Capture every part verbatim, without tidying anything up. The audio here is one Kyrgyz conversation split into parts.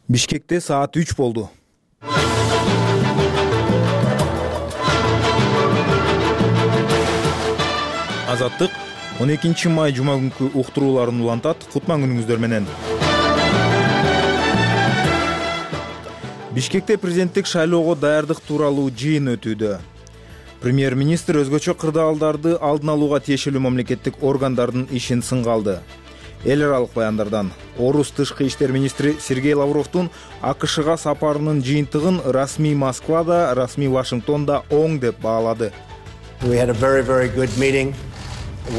Бишкекте саат үч болду. Азаттык он экинчи май жума күнкү уктурууларын улантат. Кутман күнүңүздөр менен. Бишкекте президенттик шайлоого даярдык тууралуу жыйын өтүүдө. Премьер-министр өзгөчө кырдаалдарды алдын алууга тиешелүү мамлекеттик органдардын ишин сынга алды. Эл аралык баяндардан Орус тышкы иштер министри Сергей Лавровдун АКШга сапарынын жыйынтыгын расмий Москвада, расмий Вашингтонда оң деп баалады. We had a very very good meeting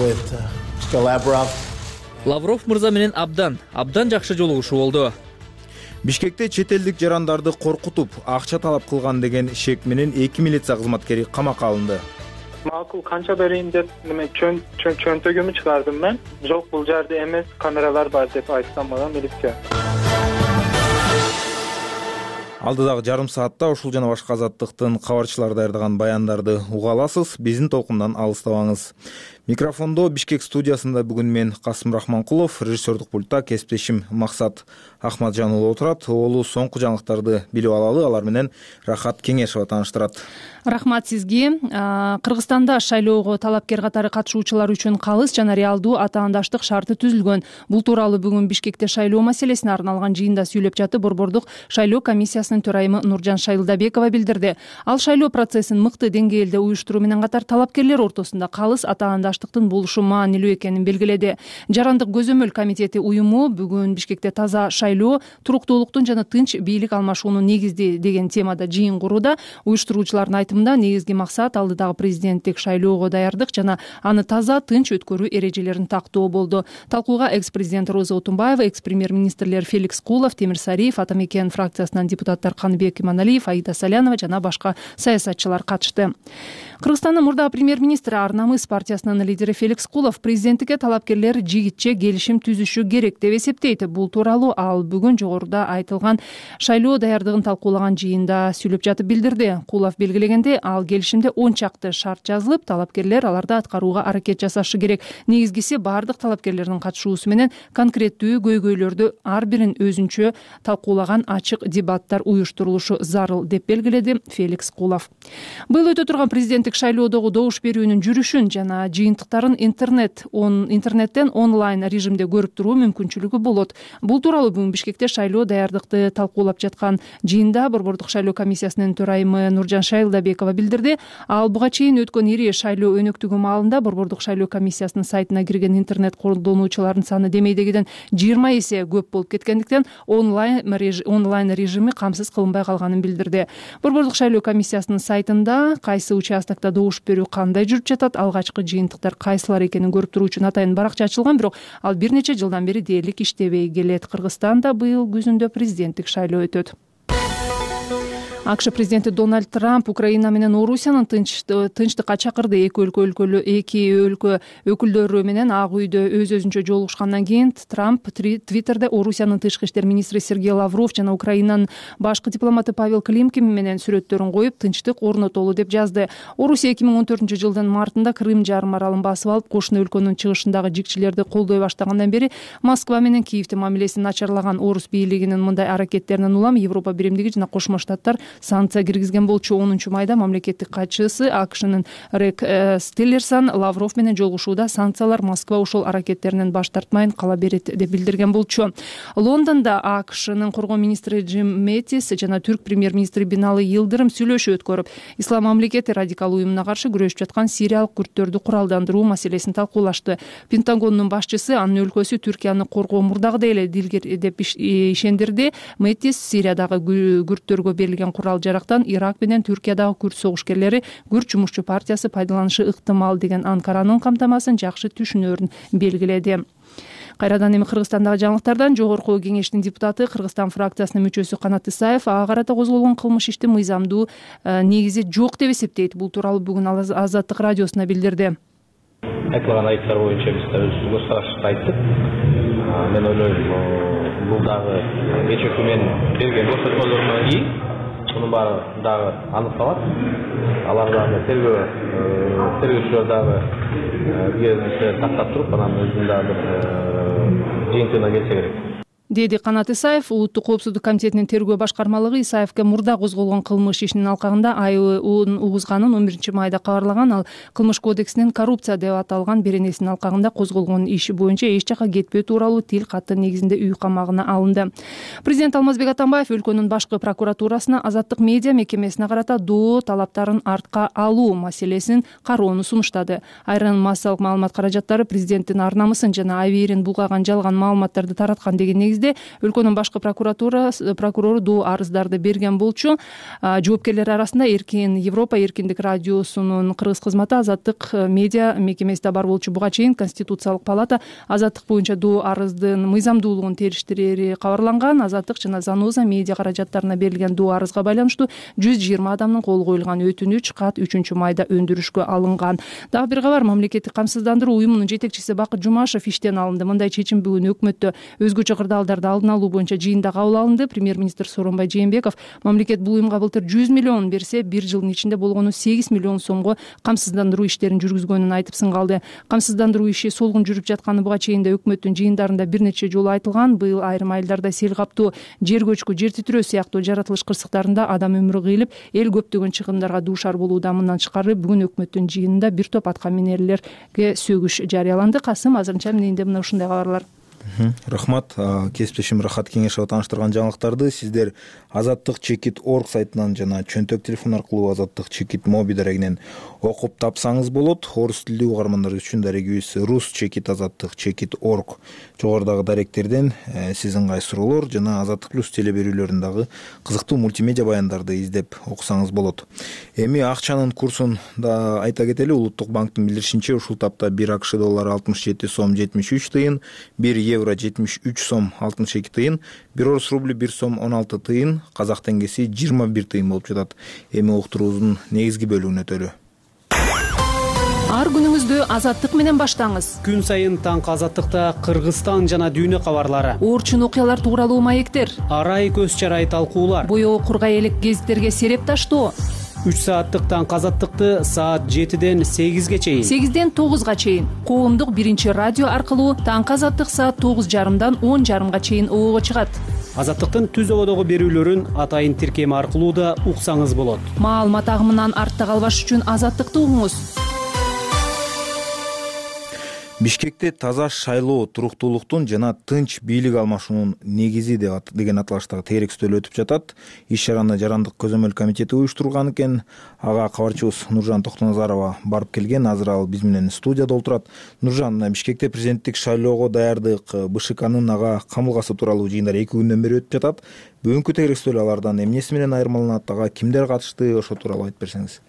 with Mister Lavrov. Лавров мырза менен абдан, абдан жакшы жолугушуу болду. Бишкекте чет элдик жарандарды коркутуп, акча талап кылган деген шек менен эки милиция кызматкери камакка алынды. Макул канча берейин деп неме чөнтөгүмү чыгардым мен. Жок, бул жерде эмес, камералар бар деп айткан мага милиция. Алдыдагы жарым саатта ушул жана башка азаттыктын кабарчылары даярдаган баяндарды уга аласыз. Биздин толкундан алыстабаңыз. Микрофондо Бишкек студиясында бүгүн мен Касым Рахманкулов, режиссердик пультта кесиптешим Максат Ахматжан уулу отурат. Олу соңку жаңылыктарды билип алалы, алар менен Рахат Кеңешова тааныштырат. Рахмат сизге. Кыргызстанда шайлоого талапкер катары катышуучулар үчүн калыс жана реалдуу атаандаштык шарты түзүлгөн. Бул тууралуу бүгүн Бишкекте шайлоо маселесине арналган жыйында сүйлөп жатып Борбордук шайлоо комиссиясынын төрайымы Нуржан Шайлдабекова билдирди. Ал шайлоо процессин мыкты деңгээлде уюштуруу менен катар талапкерлер ортосунда калыс атаандаштыктын болушу маанилүү экенин белгиледи. Жарандык көзөмөл комитети уюму бүгүн Бишкекте таза шайлоо, туруктуулуктун жана тынч бийлик алмашуунун негизди деген темада жыйын курууда. Уюштуруучулардын айтымында негизги максат алдыдагы президенттик шайлоого даярдык жана аны таза, тынч өткөрүү эрежелерин тактоо болду. Талкууга экс-президент Роза Отунбаева, экс-премьер-министрлер Феликс Кулов, Темир Сариев, Атамекен фракциясынан депутаттар Каныбек Иманалиев, Аида Салянова жана башка саясатчылар катышты. Кыргызстандын мурдагы премьер-министри Ар-Намыс партиясынын лидери Феликс Кулов президенттикке талапкерлер жигитче келишим түзүшү керек деп эсептейт. Бул тууралуу ал бүгүн жогоруда айтылган шайлоо даярдыгын талкуулаган жыйында сүйлөп жатып билдирди. Кулов белгилегенде, ал келишимде он чакты шарт жазылып, талапкерлер аларды аткарууга аракет жасашы керек. Негизгиси бардык талапкерлердин катышуусу менен конкреттүү көйгөйлөрдү ар бирин өзүнчө талкуулаган ачык дебаттар уюштурулушу зарыл деп белгиледи Феликс Кулов. Быйыл өтө турган президенттик шайлоодогу добуш берүүнүн жүрүшүн жана жыйынтыктарын интернет он интернеттен онлайн режимде көрүп туруу мүмкүнчүлүгү болот. Бул тууралуу бүгүн Бишкекте шайлоо даярдыкты талкуулап жаткан жыйында Борбордук шайлоо комиссиясынын төрайымы Нуржан Шайлдабекова билдирди. Ал буга чейин өткөн ири шайлоо өнөктүгү маалында Борбордук шайлоо комиссиясынын сайтына кирген интернет колдонуучулардын саны демейдегиден жыйырма эсе көп болуп кеткендиктен онлайн онлайн режими камсыз кылынбай калганын билдирди. Борбордук шайлоо комиссиясынын сайтында кайсы участокто добуш берүү кандай жүрүп жатат, алгачкы жыйынтыктар кайсылар экенин көрүп туруу үчүн атайын баракча ачылган, бирок ал бир нече жылдан бери дээрлик иштебей келет. Кыргызстанда быйыл күзүндө президенттик шайлоо өтөт. АКШ президенти Дональд Трамп Украина менен Орусиянын тынчтыкка чакырды. Эки өлкө өлкөлүү эки өлкө өкүлдөрү менен Ак үйдө өз өзүнчө жолугушкандан кийин Трамп Твиттерде Орусиянын тышкы иштер министри Сергей Лавров жана Украинанын башкы дипломаты Павел Климкин менен сүрөттөрүн коюп, тынчтык орнотолу деп жазды. Орусия эки миң он төртүнчү жылдын мартында Крым жарым аралын басып алып, кошуна өлкөнүн чыгышындагы жикчилерди колдой баштагандан бери Москва менен Киевдин мамилесин начарлаган Орус бийлигинин мындай аракеттеринен улам Европа биримдиги жана Кошмо Штаттар санкция киргизген болчу. онунчу майда мамлекеттик катчысы АКШнын Рек Тиллерсон Лавров менен жолугушууда санкциялар Москва ушул аракеттеринен баш тартмайын кала берет деп билдирген болчу. Лондондо АКШнын коргоо министри Джим Мэттис жана түрк премьер-министри Бинали Йылдырым сүйлөшүү өткөрүп, Ислам мамлекети радикал уюмуна каршы күрөшүп жаткан сириялык күрттөрдү куралдандыруу маселесин талкуулашты. Пентагондун башчысы анын өлкөсү Түркияны коргоо мурдагыдай эле дилгер деп ишендирди. Мэттис Сириядагы күрттөргө берилген курал жарактан Ирак менен Түркиядагы күрд согушкерлери күрд жумушчу партиясы пайдаланышы ыктымал деген Анкаранын камтамасын жакшы түшүнөрүн белгиледи. Кайрадан эми Кыргызстандагы жаңылыктардан жогорку кеңештин депутаты, Кыргызстан фракциясынын мүчөсү Канат Исаев ага карата козголгон кылмыш иштин мыйзамдуу негизи жок деп эсептейт. Бул тууралуу бүгүн Азаттык радиосуна билдирди. Айтылган айыптар боюнча биз көз карашты айттык. Мен ойлойм, бул дагы кечээ күнү берген көрсөтмөлөрүнөн кийин мунун баары дагы аныкталат. Алар дагы тергөө тергөөчүлөр дагы бизге тактап туруп, анан өзүнүн дагы бир жыйынтыгына келсе керек. деди Канат Исаев. Улуттук коопсуздук комитетинин тергөө башкармалыгы Исаевке мурда козголгон кылмыш ишинин алкагында айыбын угузганын он биринчи майда кабарлаган. Ал кылмыш кодексинин коррупция деп аталган беренесинин алкагында козголгон иши боюнча эч жака кетпөө тууралуу тил каты негизинде үй камагына алынды. Президент Алмазбек Атамбаев өлкөнүн башкы прокуратурасына азаттык медиа мекемесине карата доо талаптарын артка алуу маселесин кароону сунуштады. Айрым массалык маалымат каражаттары президенттин ар намысын жана абийирин булгаган жалган маалыматтарды тараткан деген негизде өлкөнүн башкы прокуратура прокурору доо арыздарды берген болчу. Жоопкерлер арасында Эркин Европа эркиндик радиосунун кыргыз кызматы, азаттык медиа мекемесиде бар болчу. Буга чейин Конституциялык палата азаттык боюнча доо арыздын мыйзамдуулугун териштирери кабарланган. Азаттык жана Заноза медиа каражаттарына берилген доо арызга байланыштуу жүз жыйырма адамдын колу коюлган өтүнүч кат үчүнчү майда өндүрүшкө алынган. Дагы бир кабар, мамлекеттик камсыздандыруу уюмунун жетекчиси Бакыт Жумашев иштен алынды. Мындай чечим бүгүн өкмөттө өзгөчө кырдаалдарды алдын алуу боюнча жыйында кабыл алынды. Премьер-министр Сооронбай Жээнбеков мамлекет бул уюмга былтыр жүз миллион берсе, бир жылдын ичинде болгону сегиз миллион сомго камсыздандыруу иштерин жүргүзгөнүн айтып сын калды. Камсыздандыруу иши солгун жүрүп жатканы буга чейин да өкмөттүн жыйындарында бир нече жолу айтылган. Быйыл айрым айылдарда сел каптоо, жер көчкү, жер титирөө сыяктуу жаратылыш кырсыктарында адам өмүрү кыйылып, эл көптөгөн чыгымдарга дуушар болууда. Мындан тышкары бүгүн өкмөттүн жыйынында бир топ атка минерлерге сөгүш жарыяланды. Касым, азырынча менде мына ушундай кабарлар. Рахмат. Кесиптешим Рахат Кеңешова тааныштырган жаңылыктарды сиздер азаттык чекит орг сайтынан жана чөнтөк телефон аркылуу азаттык чекит моби дарегинен окуп тапсаңыз болот. Орус тилдүү угармандар үчүн дарегибиз рус чекит азаттык чекит орг. Жогорудагы даректерден сиз ыңгай суроолор жана Азаттык плюс теле берүүлөрүн дагы кызыктуу мультимедиа баяндарды издеп окусаңыз болот. Эми акчанын курсун да айта кетели. Улуттук банктын билдиришинче, ушул тапта бир АКШ доллары алтымыш жети сом жетимиш үч тыйын, бир евро жетимиш үч сом алтымыш эки тыйын, бир орус рубль бир сом он алты тыйын, казак теңгеси жыйырма бир тыйын болуп жатат. Эми уктуруубуздун негизги бөлүгүнө өтөлү. Ар күнүңүздү азаттык менен баштаңыз. Күн сайын таңкы азаттыкта Кыргызстан жана дүйнө кабарлары, Орчун окуялар тууралуу маектер, арай көз чарай талкуулар, боёгу кургай элек гезиттерге сереп таштоо. үч сааттык таңкы азаттыкты саат жетиден сегизге чейин, сегизден тогузга чейин коомдук биринчи радио аркылуу таңкы азаттык саат тогуз жарымдан он жарымга чейин оого чыгат. Азаттыктын түз ободогу берүүлөрүн атайын тиркеми аркылуу да уксаңыз болот. Маалымат агымынан артта калбаш үчүн азаттыкты угуңуз. Бишкекте таза шайлоо, туруктуулуктун жана тынч бийлик алмашуунун негизи деген аталыштагы теерек үстөл өтүп жатат. Иш чараны Жарандык көзөмөл комитети уюштурган экен. Ага кабарчыбыз Нуржан Токтоназарова барып келген. Азыр ал биз менен студияда отурат. Нуржан, Бишкекте президенттик шайлоого даярдык, БШКнын ага камылгасы тууралуу жыйындар эки күндөн бери өтүп жатат. Бүгүнкү теерек үстөл алардан эмнеси менен айырмаланат, ага кимдер катышты, ошол тууралуу айтып берсеңиз.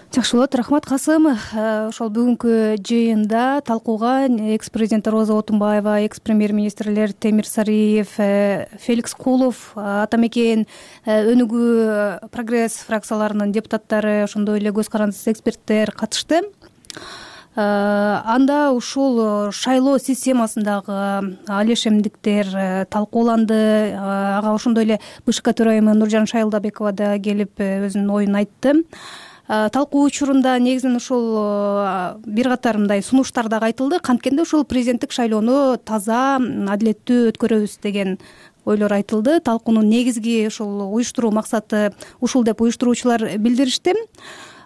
Жакшы болот, рахмат Касым. Ошол бүгүнкү жыйында талкууга экс президент Роза Отунбаева, экс премьер-министрлер Темир Сариев, Феликс Кулов, Атамекен Өнүгүү, Прогресс фракцияларынын депутаттары, ошондой эле көз карандысыз эксперттер катышты. Анда ушул шайлоо системасындагы алешемдиктер талкууланды. Ага ошондой эле БШК төрайымы Нуржан Шайлдабекова да келип өзүнүн оюн айтты. Талкуу учурунда негизинен ушул бир катар мындай сунуштар дагы айтылды. Канткенде ушул президенттик шайлоону таза, адилеттүү өткөрөбүз деген ойлор айтылды. Талкуунун негизги ушул уюштуруу максаты ушул деп уюштуруучулар билдиришти.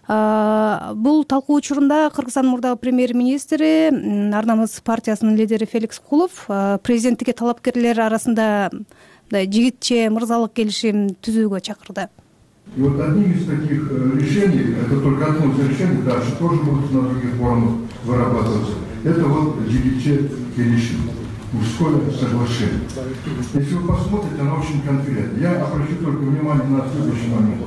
Бул талкуу учурунда Кыргызстандын мурдагы премьер-министри, Ар намыс партиясынын лидери Феликс Кулов президенттикке талапкерлер арасында жигитче мырзалык келишим түзүүгө чакырды. И вот одним из таких решений, это только одно из решений, дальше тоже будут на других форумах вырабатываться, это вот жигитче келишим, мужское соглашение. Если вы посмотрите, оно очень конкретно. Я обращу только внимание на следующий момент.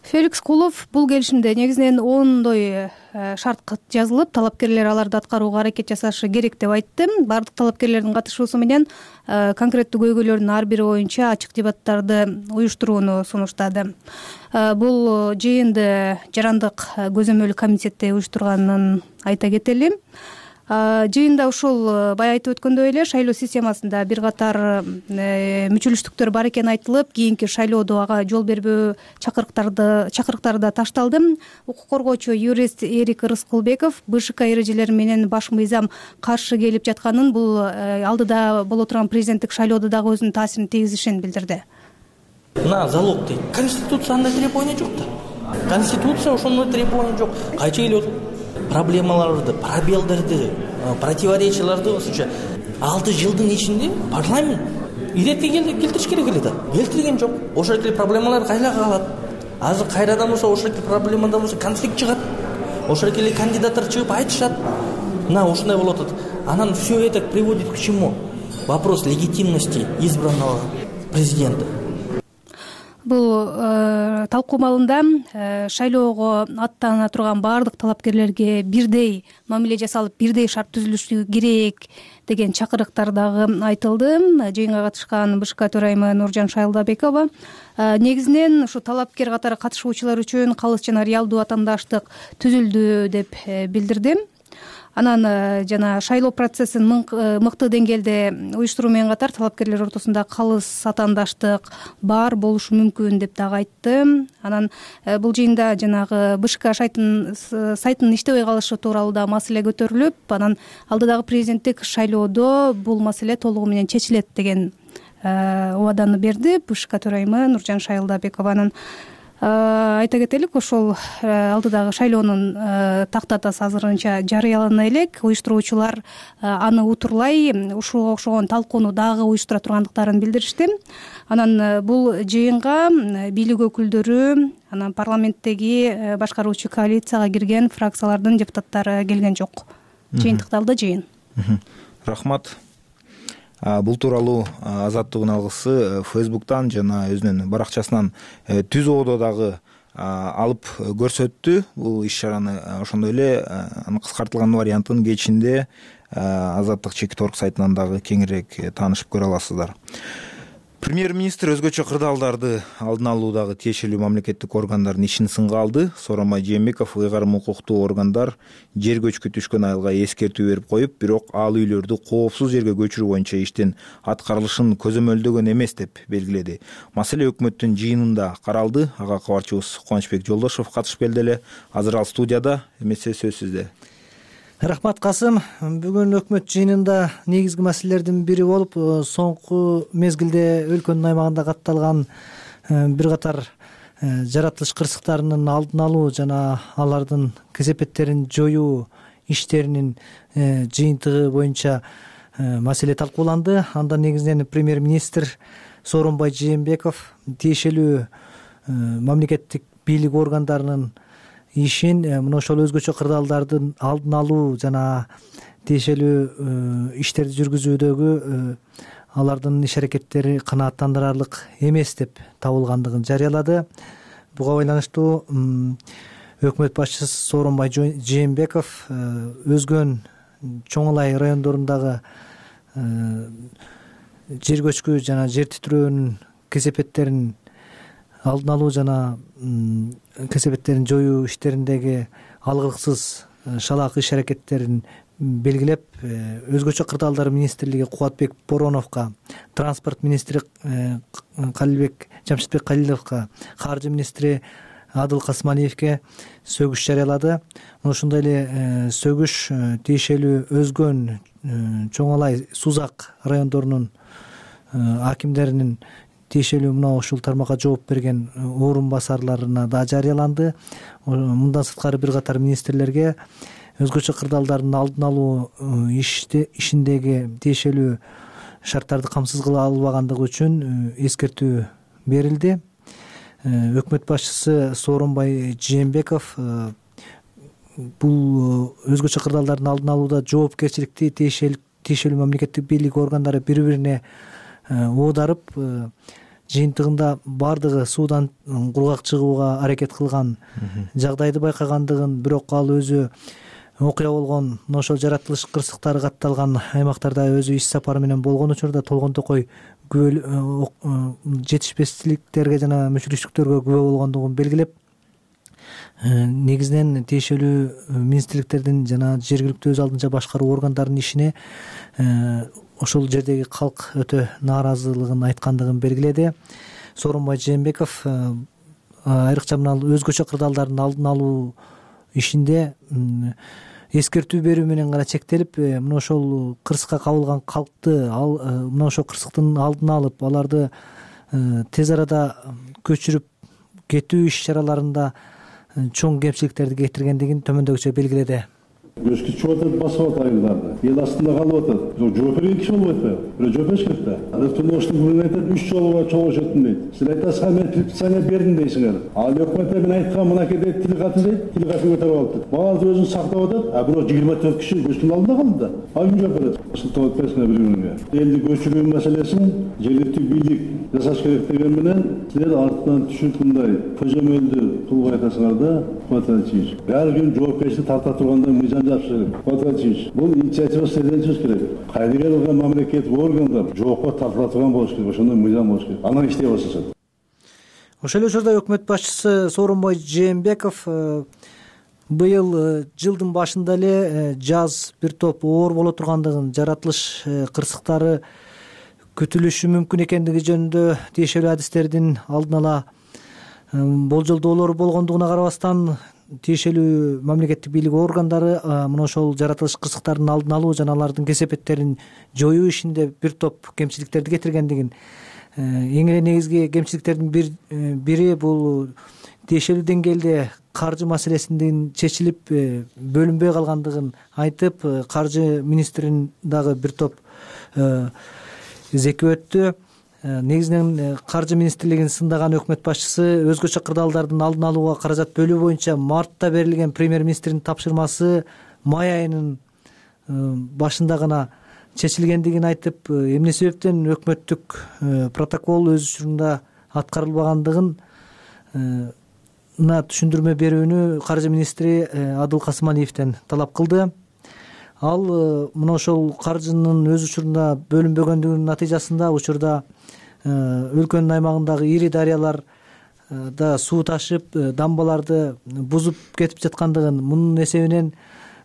Феликс Кулов бул келишимде негизинен ондой шарт жазылып, талапкерлер аларды аткарууга аракет жасашы керек деп айтты. Бардык талапкерлердин катышуусу менен конкреттүү көйгөйлөрдүн ар бири боюнча ачык дебаттарды уюштурууну сунуштады. Бул жыйынды Жарандык көзөмөл комитети уюштурганын айта кетели. Жыйында ушул бая айтып өткөндөй эле шайлоо системасында бир катар мүчөлүштүктөр бар экени айтылып, кийинки шайлоодо ага жол бербөө чакырыктарды чакырыктары да ташталды. Укук коргоочу юрист Эрик Рыскулбеков БШК эрежелери менен баш мыйзам каршы келип жатканын, бул алдыда боло турган президенттик шайлоодо дагы өзүнүн таасирин тийгизишин билдирди. На залог дейт. Конституция андай требование жок да. Конституция ошондой требование жок. Кайча келип проблемаларды, пробелдерди, противоречияларды осуча алты жылдын ичинде парламент иретке келтириш керек эле да. Келтирген жок. Ошол эле проблемалар кайда калат? Азыр кайрадан болсо ошол эле проблемадан болсо конфликт чыгат. Ошол эле кандидаттар чыгып айтышат. Мына ушундай болуп атат. Анан все это приводит к чему? Вопрос легитимности избранного президента. Бул э, талкуу маалында э, шайлоого аттана турган баардык талапкерлерге бирдей мамиле жасалып, бирдей шарт түзүлүшү керек деген чакырыктар дагы айтылды. Жыйынга катышкан БШК төрайымы Нуржан Шайлдабекова э, негизинен ушу талапкер катары катышуучулар үчүн калыс жана реалдуу атаандаштык түзүлдү деп э, билдирди. Анан жана шайлоо процессин мыкты деңгээлде уюштуруу менен катар талапкерлер ортосунда калыс атаандаштык бар болушу мүмкүн деп дагы айтты. Анан бул жыйында жанагы БШК сайтынын иштебей калышы тууралуу да маселе көтөрүлүп, анан алдыдагы президенттик шайлоодо бул маселе толугу менен чечилет деген убаданы берди БШК төрайымы Нуржан Шайлдабекованын. Айта кетелик, ошол алдыдагы шайлоонун тактатасы азырынча жарыялана элек. Уюштуруучулар аны утурлай ушуга окшогон талкууну дагы уюштура тургандыктарын билдиришти. Анан бул жыйынга бийлик өкүлдөрү, анан парламенттеги башкаруучу коалицияга кирген фракциялардын депутаттары келген жок. Жыйынтыкталды жыйын. Рахмат. Бул тууралуу Азаттыктын алгысы Фейсбуктан жана өзүнүн баракчасынан түз ободо дагы алып көрсөттү. Бул иш-чараны ошондой эле анын кыскартылган вариантын кечинде Азаттык чекит орг сайтынан дагы кеңирээк таанышып көрө аласыздар. Премьер-министр өзгөчө кырдаалдарды алдын алуудагы тиешелүү мамлекеттик органдардын ишин сынга алды. Сооронбай Жээнбеков ыйгарым укуктуу органдар жер көчкү түшкөн айылга эскертүү берип коюп, бирок ал үйлөрдү коопсуз жерге көчүрүү боюнча иштин аткарылышын көзөмөлдөгөн эмес деп белгиледи. Маселе өкмөттүн жыйынында каралды. Ага кабарчыбыз Кубанычбек Жолдошов катышып келди эле. Азыр ал студияда, эмесе сөз сизде. Рахмат Касым. Бүгүн өкмөт жыйынында негизги маселелердин бири болуп, соңку мезгилде өлкөнүн аймагында катталган бир катар жаратылыш кырсыктарынын алдын алуу жана алардын кесепеттерин жоюу иштеринин жыйынтыгы боюнча маселе талкууланды. Анда негизинен премьер-министр Сооронбай Жээнбеков тиешелүү мамлекеттик бийлик органдарынын ишин мына ошол өзгөчө кырдаалдардын алдын алуу жана тиешелүү иштерди жүргүзүүдөгү алардын иш аракеттери канааттандырарлык эмес деп табылгандыгын жарыялады. Буга байланыштуу өкмөт башчысы Сооронбай Жээнбеков өзгөн Чоң Алай райондорундагы жер көчкү жана жер титирөөнүн кесепеттерин алдын алуу жана кесепеттерин жоюу иштериндеги алгырксыз шалаак иш аракеттерин белгилеп, өзгөчө кырдаалдар министрлиги Кубатбек Бороновго, транспорт министри Калилбек Жамшитбек Калиловго, каржы министри Адыл Касмалиевге сөгүш жарыялады. Ошондой эле сөгүш тиешелүү өзгөн Чоң Алай, Сузак райондорунун акимдеринин тиешелүү мына ушул тармакка жооп берген орун басарларына да жарыяланды. Мындан сырткары бир катар министрлерге өзгөчө кырдаалдардын алдын алуу ишиндеги тиешелүү шарттарды камсыз кыла албагандыгы үчүн эскертүү берилди. Өкмөт башчысы Сооронбай Жээнбеков бул өзгөчө кырдаалдардын алдын алууда жоопкерчиликти тиешелүү мамлекеттик бийлик органдары бири-бирине оодарып, жыйынтыгында бардыгы суудан кургак чыгууга аракет кылган жагдайды байкагандыгын, бирок ал өзү окуя болгон ошол жаратылыш кырсыктары катталган аймактарда өзү иш сапары менен болгон учурда толгон токой жетишпестиктерге жана мүчүлүштүктөргө күбө болгондугун белгилеп, негизинен тиешелүү министрликтердин жана жергиликтүү өз алдынча башкаруу органдарынын ишине ошол жердеги калк өтө нааразылыгын айткандыгын белгиледи. Сооронбай Жээнбеков айрыкча мына өзгөчө кырдаалдардын алдын алуу ишинде эскертүү берүү менен гана чектелип, мына ошол кырсыкка кабылган калкты ал мына ошол кырсыктын алдын алып, аларды тез арада көчүрүп кетүү иш чараларында чоң кемчиликтерди кетиргендигин төмөндөгүчө белгиледи. Көчкү чыгып атат, басып атат айылдарды. Эл астында калып атат. Жооп берген киши болбойт атпайбы? Бирөө жооп бериш керек да. Рыктоштун бүгүн айтат, үч жолу чогулушуптун дейт. Силер айтасыздар, мен предписание бердим дейсиңер. Ал өкмөттө мен айткан мынакей дейт, тил катын дейт, тил катын көтөрүп алыптыр. Баары өзүн сактап атат, а бирок жыйырма төрт киши көчтүн алдында калды да. Ал ким жооп берет? Сылтап атпайсыңар бири-биринге. Элди көчүрүү маселесин жергиликтүү бийлик жасаш керек деген менен силер артынан түшүп мындай көзөмөлдү кылып айтасыңар да, Квадрачевич. Баары күн жоопкерчилик тарта турганда мыйзам Квадрачевич, бул инициатива сиздерден чыгыш керек. Кайдыга кылган мамлекеттик органдар жоопко тартыла турган болуш керек, ошондой мыйзам болуш керек. Анан иштей башташат. Ошол эле учурда өкмөт башчысы Сооронбай Жээнбеков быйыл жылдын башында эле жаз бир топ оор боло тургандыгын, жаратылыш кырсыктары күтүлүшү мүмкүн экендиги жөнүндө тиешелүү адистердин алдын ала болжолдоолору болгондугуна карабастан, тиешелүү мамлекеттик бийлик органдары мына ошол жаратылыш кырсыктардын алдын алуу жана алардын кесепеттерин жоюу ишинде бир топ кемчиликтерди кетиргендигин, эң эле негизги кемчиликтердин бири бул тиешелүү деңгээлде каржы маселесинин чечилип бөлүнбөй калгандыгын айтып, каржы министрин дагы бир топ зекип өттү. Негизинен каржы министрлигин сындаган өкмөт башчысы өзгөчө кырдаалдардын алдын алууга каражат бөлүү боюнча мартта берилген премьер-министрдин тапшырмасы май айынын башында гана чечилгендигин айтып, эмне себептен өкмөттүк протокол өз учурунда аткарылбагандыгын түшүндүрмө берүүнү каржы министри Адыл Касымалиевден талап кылды. Ал мына ошол каржынын өз учурунда бөлүнбөгөндүгүнүн натыйжасында учурда өлкөнүн аймагындагы ири дарыяларда суу ташып, дамбаларды бузуп кетип жаткандыгын, мунун эсебинен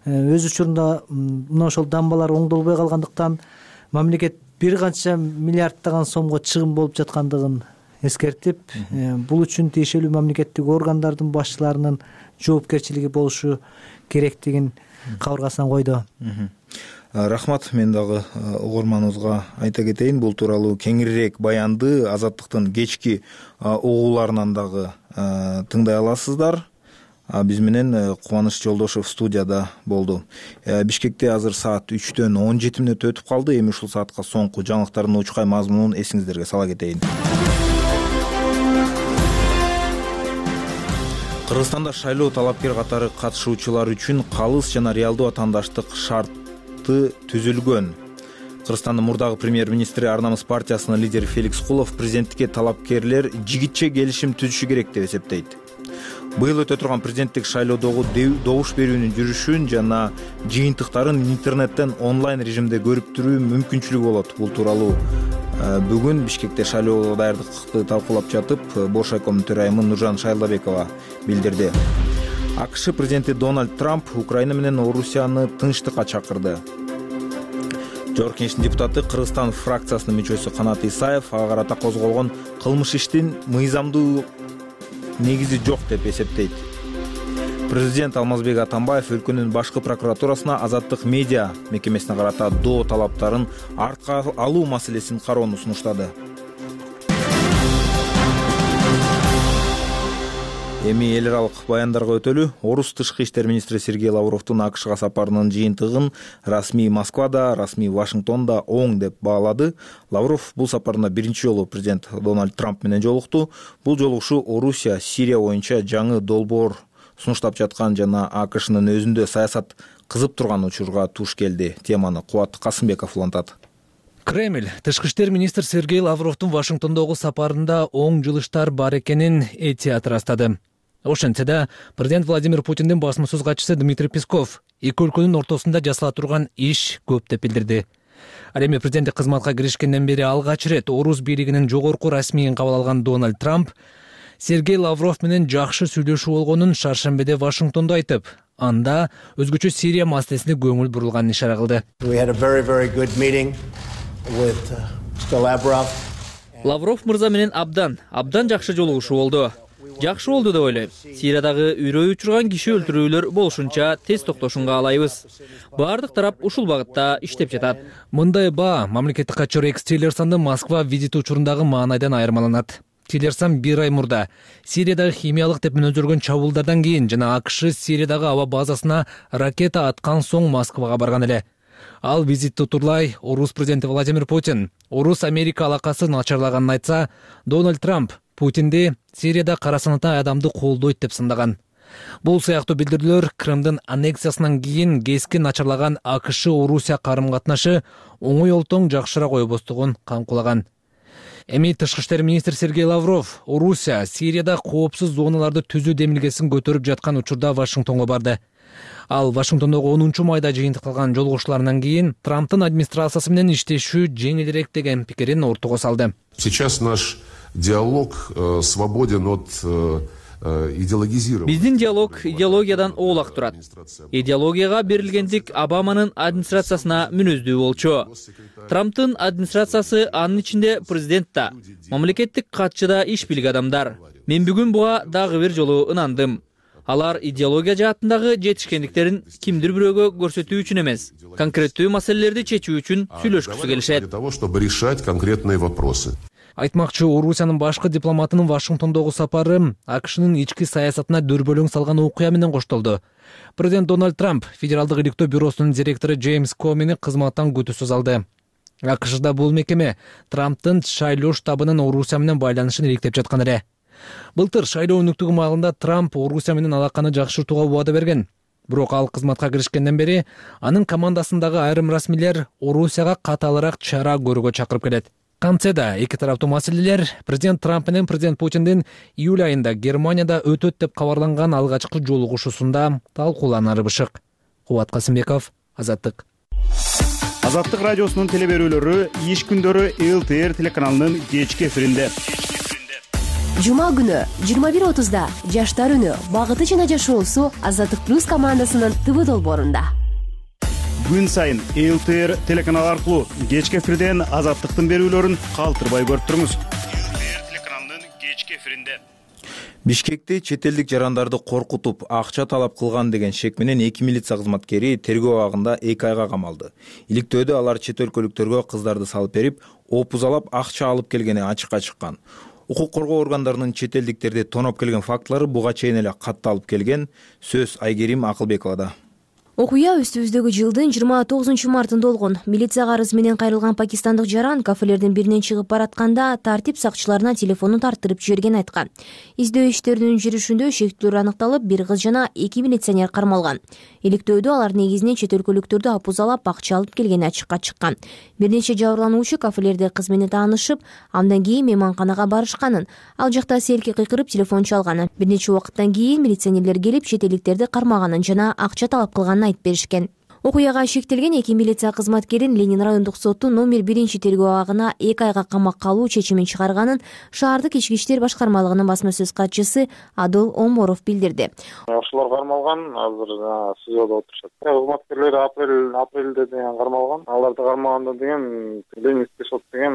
өз учурунда мына ошол дамбалар оңдолбой калгандыктан мамлекет бир канча миллиарддаган сомго чыгым болуп жаткандыгын эскертип, бул үчүн тиешелүү мамлекеттик органдардын башчыларынын жоопкерчилиги болушу керектигин кабыргасынан койду. Рахмат, мен дагы угурманыбызга айта кетейин, бул тууралуу кеңирээк баянды Азаттыктын кечки угууларынан дагы тыңдай аласыздар. Биз менен Кубаныч Жолдошев студияда болду. Бишкекте азыр саат үчтөн он жети мүнөт өтүп калды. Эми ушул саатка соңку жаңылыктардын учкай мазмунун эсиңиздерге сала кетейин. Кыргызстанда шайлоо талапкер катары катышуучулар үчүн калыс жана реалдуу атаандаштык шарты түзүлгөн. Кыргызстандын мурдагы премьер-министри Ар намыс партиясынын лидери Феликс Кулов президенттикке талапкерлер жигитче келишим түзүшү керек деп эсептейт. Быйыл өтө турган президенттик шайлоодогу добуш берүүнүн жүрүшүн жана жыйынтыктарын интернеттен онлайн режимде көрүп туруу мүмкүнчүлүгү болот. Бул тууралуу бүгүн Бишкекте шайлоого даярдыкты талкуулап жатып, Боршайкомдун төрайымы Нуржан Шайлдабекова билдирди. АКШ президенти Дональд Трамп Украина менен Орусияны тынчтыкка чакырды. Жогорку Кеңештин депутаты Кыргызстан фракциясынын мүчөсү Канат Исаев ага карата козголгон кылмыш иштин мыйзамдуу негизи жок деп эсептейт. Президент Алмазбек Атамбаев өлкөнүн башкы прокуратурасына азаттык медиа мекемесине карата доо талаптарын артка алуу маселесин кароону сунуштады. Эми эл аралык баяндарга өтөлү. Орус тышкы иштер министри Сергей Лавровдун АКШга сапарынын жыйынтыгын расмий Москвада, расмий Вашингтонда оң деп баалады. Лавров бул сапарында биринчи жолу президент Дональд Трамп менен жолукту. Бул жолугушуу Орусия, Сирия боюнча жаңы долбоор сунуштап жаткан жана АКШнын өзүндө саясат кызып турган учурга туш келди. Теманы Кубат Касымбеков улантат. Кремль тышкы иштер министр Сергей Лавровдун Вашингтондогу сапарында оң жылыштар бар экенин этият ырастады. Ошентсе да, президент Владимир Путиндин басмасөз катчысы Дмитрий Песков эки өлкөнүн ортосунда жасала турган иш көп деп билдирди. Ал эми президенттик кызматка киришкенден бери алгач ирет орус бийлигинин жогорку расмийин кабыл алган Дональд Трамп Сергей Лавров менен жакшы сүйлөшүү болгонун шаршембиде Вашингтондо айтып, анда өзгөчө Сирия маселесине көңүл бурулганын ишара кылды. Лавров мырза менен абдан, абдан жакшы жолугушуу болду. Жакшы болду деп ойлойм. Сириядагы үрөй учурган киши өлтүрүүлөр болушунча тез токтошунга алайбыз. Бардык тарап ушул багытта иштеп жатат. Мындай баа мамлекеттик катчы Рекс Тиллерсондун Москва визити учурундагы маанайдан айырмаланат. Тиллерсон бир ай мурда Сириядагы химиялык деп мүнөздөргөн чабуулдардан кийин жана АКШ Сириядагы аба базасына ракета аткан соң Москвага барган эле. Ал визитти утурлай орус президенти Владимир Путин орус Америка алакасы начарлаганын айтса, Дональд Трамп Путинди Сирияда кара санаттай адамды колдойт деп сындаган. Бул сыяктуу билдирүүлөр Крымдын аннексиясынан кийин кескен начарлаган АКШ-Орусия карым-катнашы оңой олтоң жакшыраак ойбостугун камкулаган. Эми тышкы иштер министри Сергей Лавров Орусия Сирияда коопсуз зоналарды түзүү демилгесин көтөрүп жаткан учурда Вашингтонго барды. Ал Вашингтондогу онунчу майда жыйынтыкталган жолугушууларынан кийин Трамптын администрациясы менен иштешүү жеңилирээк деген пикирин ортого салды. Сейчас наш диалог э, свободен от э, идеологизирования. Биздин диалог идеологиядан оолак турат. Идеологияга берилгендик Обаманын администрациясына мүнөздүү болчу. Трамптын администрациясы анын ичинде президент да, мамлекеттик катчы да иш билик адамдар. Мен бүгүн буга дагы бир жолу ынандым. Алар идеология жаатындагы жетишкендиктерин кимдир бирөөгө көрсөтүү үчүн эмес, конкреттүү маселелерди чечүү үчүн сүйлөшкүсү келишет. Для того, чтобы решать конкретные вопросы. Айтмакчы, Орусиянын башкы дипломатынын Вашингтондогу сапары АКШнын ички саясатына дөрбөлөң салган окуя менен коштолду. Президент Дональд Трамп Федералдык иликтөө бюросунун директору Джеймс Комени кызматтан күтүүсүз алды. АКШда бул мекеме Трамптын шайлоо штабынын Орусия менен байланышын иликтеп жаткан эле. Былтыр шайлоо өнүктүгү маалында Трамп Орусия менен алаканы жакшыртууга убада берген. Бирок ал кызматка киришкенден бери анын командасындагы айрым расмийлер Орусияга катаалыраак чара көрүүгө чакырып келет. Кантсе да эки тараптуу маселелер президент Трамп менен президент Путиндин июль айында Германияда өтөт деп кабарланган алгачкы жолугушуусунда талкууланары бышык. Кубат Касымбеков, Азаттык. Азаттык радиосунун телеберүүлөрү иш күндөрү эл тэ эр телеканалынын кечки эфиринде. Жума күнү жыйырма бир отузда Жаштар үнү багыты жана жашоосу Азаттык плюс командасынын ТВ долбоорунда. Күн сайын эл тэ эр телеканалы аркылуу кечки эфирден Азаттыктын берүүлөрүн калтырбай көрүп туруңуз. эл тэ эр телеканалынын кечки эфиринде. Бишкекте чет элдик жарандарды коркутуп, акча талап кылган деген шек менен эки милиция кызматкери тергөө абагында эки айга камалды. Иликтөөдө алар чет өлкөлүктөргө кыздарды салып берип, опузалап акча алып келгени ачыкка чыккан. Укук коргоо органдарынын чет элдиктерди тоноп келген фактылары буга чейин эле катталып келген. Сөз Айгерим Акылбековада. Окуя үстүбүздөгү жылдын жыйырма тогузунчу мартында болгон. Милиция карыз менен кайрылган пакистандык жаран кафелердин биринен чыгып баратканда тартип сакчыларына телефонун тартырып жиберген айткан. Издөө иштеринин жүрүшүндө шектүүлөр аныкталып, бир кыз жана эки милиционер кармалган. Иликтөөдө алар негизинен чет өлкөлүктөрдү опузалап акча алып келгени ачыкка чыккан. Бир нече жабырлануучу кафелерде кыз менен таанышып, андан кийин мейманканага барышканын, ал жакта селки кыйкырып телефон чалганын, бир нече убакыттан кийин милиционерлер келип чет элдиктерди кармаганын жана акча талап кылганын айтып беришкен. Окуяга шектелген эки милиция кызматкерин Ленин райондук соттун номер биринчи тергөө абагына эки айга камакка алуу чечимин чыгарганын шаардык ички иштер башкармалыгынын басма сөз катчысы Адол Оморов билдирди. Ошолор кармалган, азыр СИЗОдо отурушат. Кызматкерлер апрель апрелде деген кармалган. Аларды кармаганда деген Ленинский сот деген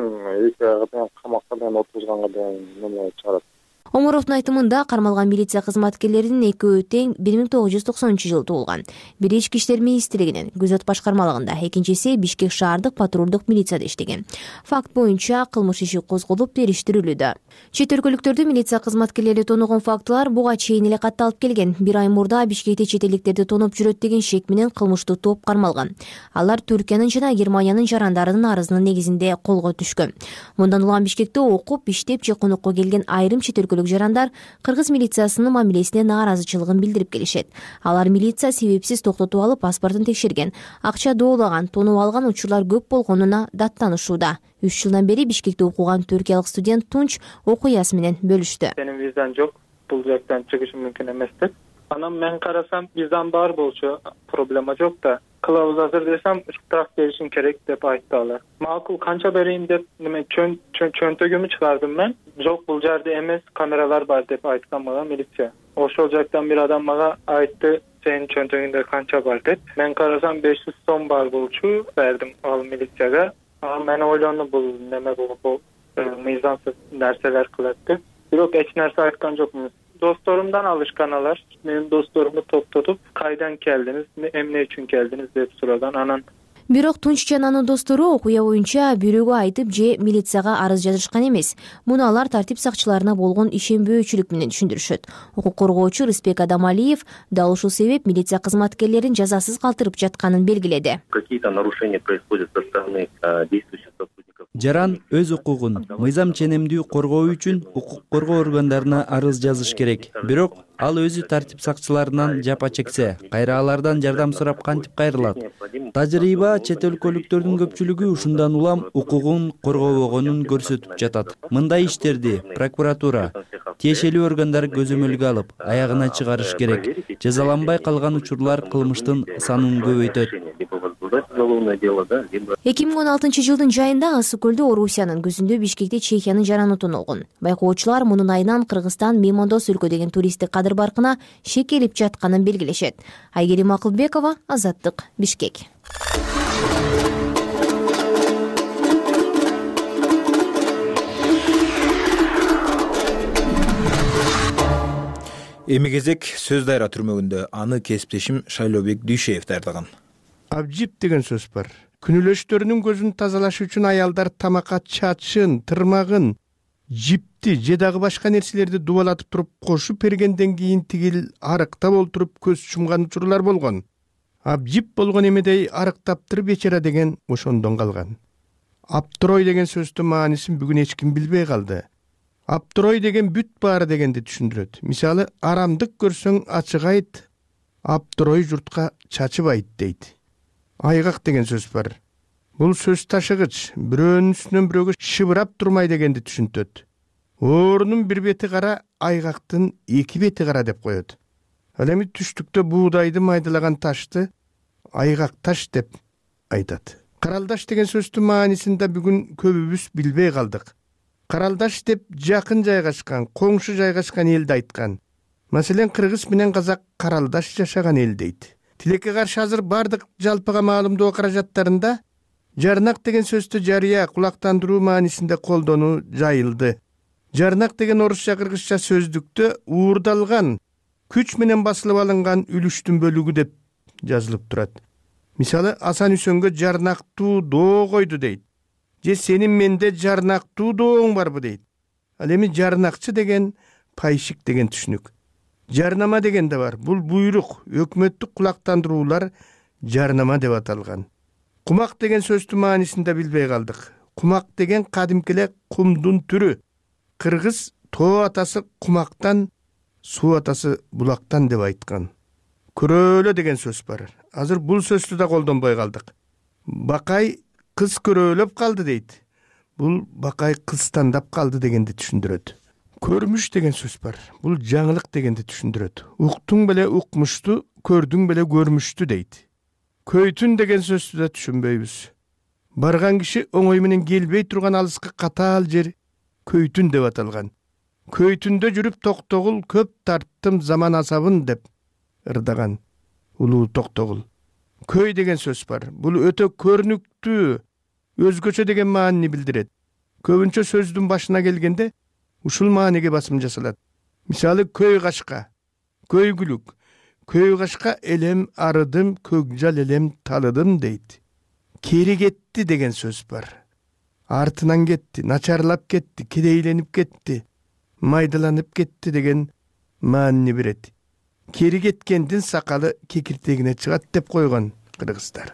эки айга деген камакка деген отургузганга деген неме чыгарат. Оморовдун айтымында кармалган милиция кызматкерлеринин экөө тең бир миң тогуз жүз токсонунчу жылы туулган. Бири ички иштер министрлигинин күзөт башкармалыгында, экинчиси Бишкек шаардык патрулдук милицияда иштеген. Факт боюнча кылмыш иши козголуп, териштирилүүдө. Чет өлкөлүктөрдү милиция кызматкерлери тоногон фактылар буга чейин эле катталып келген. Бир ай мурда Бишкекте чет элдиктерди тоноп жүрөт деген шек менен кылмыштуу топ кармалган. Алар Түркиянын жана Германиянын жарандарынын арызынын негизинде колго түшкөн. Мындан улам Бишкекте окуп, иштеп же конокко келген айрым чет өлкөлүк жарандар кыргыз милициясынын мамилесине нааразычылыгын билдирип келишет. Алар милиция себепсиз токтотуп алып паспортун текшерген, акча доолаган, тонуп алган учурлар көп болгонуна даттанышууда. үч жылдан бери Бишкекте окуган түркиялык студент Тунч окуясы менен бөлүштү. Менин визам жок, бул жактан чыгышым мүмкүн эмес деп. Анан мен карасам, визам бар болчу, проблема жок да. кылабыз азыр десем штраф беришин керек деп айтты алар. Макул канча берейин деп неме чөнтөгүмү чыгардым мен. Жок, бул жерде эмес, камералар бар деп айткан мага милиция. Ошол жактан бир адам мага айтты, сенин чөнтөгүңдө канча бар деп. Мен карасам беш жүз сом бар болчу, бердим ал милицияга. Ал мен ойлондум, бул неме болуп мыйзамсыз нерселер кылат деп. Бирок эч нерсе айткан жокмун. Досторумдан алышкан алар. Менин досторумду топтотуп, кайдан келдиңиз, эмне үчүн келдиңиз деп сураган. Анан бирок Тунч жана анын достору окуя боюнча бирөөгө айтып же милицияга арыз жазышкан эмес. Муну алар тартип сакчыларына болгон ишенбөөчүлүк менен түшүндүрүшөт. Укук коргоочу Рыспек Адамалиев дал ушул себеп милиция кызматкерлерин жазасыз калтырып жатканын белгиледи. Какие-то нарушения происходят со стороны действующих сотрудников. Жаран өз укугун мыйзам ченемдүү коргоо үчүн укук коргоо органдарына арыз жазыш керек. Бирок ал өзү тартип сакчыларынан жапа чексе, кайра алардан жардам сурап кантип кайрылат? Тажрыйба чет өлкөлүктөрдүн көпчүлүгү ушундан улам укугун коргобогонун көрсөтүп жатат. Мындай иштерди прокуратура, тиешелүү органдар көзөмөлгө алып, аягына чыгарыш керек. Жазаланбай калган учурлар кылмыштын санын көбөйтөт. эки миң он алтынчы жылдын жайында Ысык көлдө Орусиянын күзүндө Бишкекте Чехиянын жараны тоналган. Байкоочулар мунун айынан Кыргызстан меймандос өлкө деген туристтик кадыр баркына шекелип жатканын белгилешет. Айгерим Акылбекова, Азаттык, Бишкек. Эми кезек сөз дайра түрмөгүндө. Аны кесиптешим Шайлообек Дүйшеев даярдаган. Абжип деген сөз бар. Күнүлөштөрүнүн көзүн тазалаш үчүн аялдар тамакка чачын, тырмагын, жипти же дагы башка нерселерди дубалатып туруп кошуп бергенден кийин тигил арыктап олтуруп көз чумган учурлар болгон. Абжип болгон эмедей арыктаптыр бечара деген ошондон калган. Аптырой деген сөздүн маанисин бүгүн эч ким билбей калды. Аптырой деген бүт баары дегенди түшүндүрөт. Мисалы, арамдык көрсөң ачык айт, аптырой журтка чачыбайт дейт. Айгак деген сөз бар. Бул сөз ташыгыч, бирөөнүн үстүнөн бирөөгө шыбырап турмай дегенди түшүнтөт. Оорунун бир бети кара, айгактын эки бети кара деп коет. Ал эми түштүктө буудайды майдалаган ташты айгак таш деп айтат. Каралдаш деген сөздүн маанисин да бүгүн көбүбүз билбей калдык. Каралдаш деп жакын жайгашкан, коңшу жайгашкан элди айткан. Маселен, кыргыз менен казак каралдаш жашаган эл дейт. Тилекке каршы азыр бардык жалпыга маалымдоо каражаттарында жарнак деген сөздү жарыя, кулактандыруу маанисинде колдонуу жайылды. Жарнак деген орусча кыргызча сөздүктө уурдалган, күч менен басылып алынган үлүштүн бөлүгү деп жазылып турат. Мисалы, Асан Үсөнгө жарнактуу доо койду дейт. Же сенин менде жарнактуу дооң барбы дейт. Ал эми жарнакчы деген пайшик деген түшүнүк. Жарнама деген да бар. Бул буйрук, өкмөттүк кулактандыруулар жарнама деп аталган. Кумак деген сөздүн маанисин да билбей калдык. Кумак деген кадимкиле кумдун түрү. Кыргыз тоо атасы кумактан, суу атасы булактан деп айткан. Көрөөлө деген сөз бар. Азыр бул сөздү да колдонбой калдык. Бакай кыз көрөөлөп калды дейт. Бул бакай кыз тандап калды дегенди түшүндүрөт. Көрмүш деген сөз бар. Бул жаңылык дегенди түшүндүрөт. Уктуң беле укмушту, көрдүң беле көрмүштү дейт. Көйтүн деген сөздү да түшүнбөйбүз. Барган киши оңой менен келбей турган алыска катаал жер көйтүн деп аталган. Көйтүндө жүрүп токтогул көп тарттым заман асабын деп ырдаган улуу токтогул. Көй деген сөз бар. Бул өтө көрүнүктүү, өзгөчө деген маанини билдирет. Көбүнчө сөздүн башына келгенде ушул мааниге басым жасалат. Мисалы, көй кашка, көйгүлүк, көй кашка элем арыдым, көкжал элем талыдым дейт. Кери кетти деген сөз бар. Артынан кетти, начарлап кетти, кедейленип кетти, майдаланып кетти деген маанини берет. Кери кеткендин сакалы кекиртегине чыгат деп койгон кыргыздар.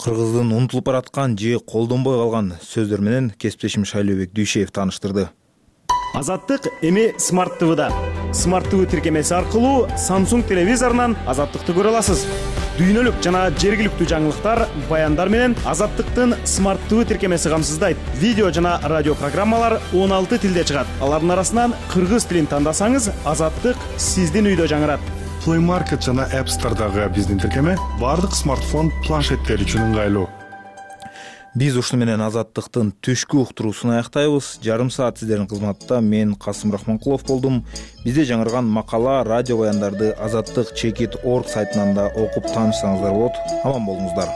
Кыргыздын унутулуп бараткан же колдонбой калган сөздөр менен кесиптешим Шайлообек Дүйшеев тааныштырды. Азаттык эми Смарт ТВда. Смарт ТВ тиркемеси аркылуу Samsung телевизорунан Азаттыкты көрө аласыз. Дүйнөлүк жана жергиликтүү жаңылыктар, баяндар менен Азаттыктын Смарт ТВ тиркемеси камсыздайт. Видео жана радио программалар он алты тилде чыгат. Алардын арасынан кыргыз тилин тандасаңыз, Азаттык сиздин үйдө жаңырат. Play Market жана App Store'дагы биздин тиркеме бардык смартфон планшеттер үчүн ыңгайлуу. Биз ушуну менен Азаттыктын түшкү уктуруусун аяктайбыз. Жарым саат сиздердин кызматта мен Касым Рахманкулов болдум. Бизде жаңырган макала, радио баяндарды азаттык чекит точка орг сайтынан да окуп таанышсаңыздар болот. Аман болуңуздар.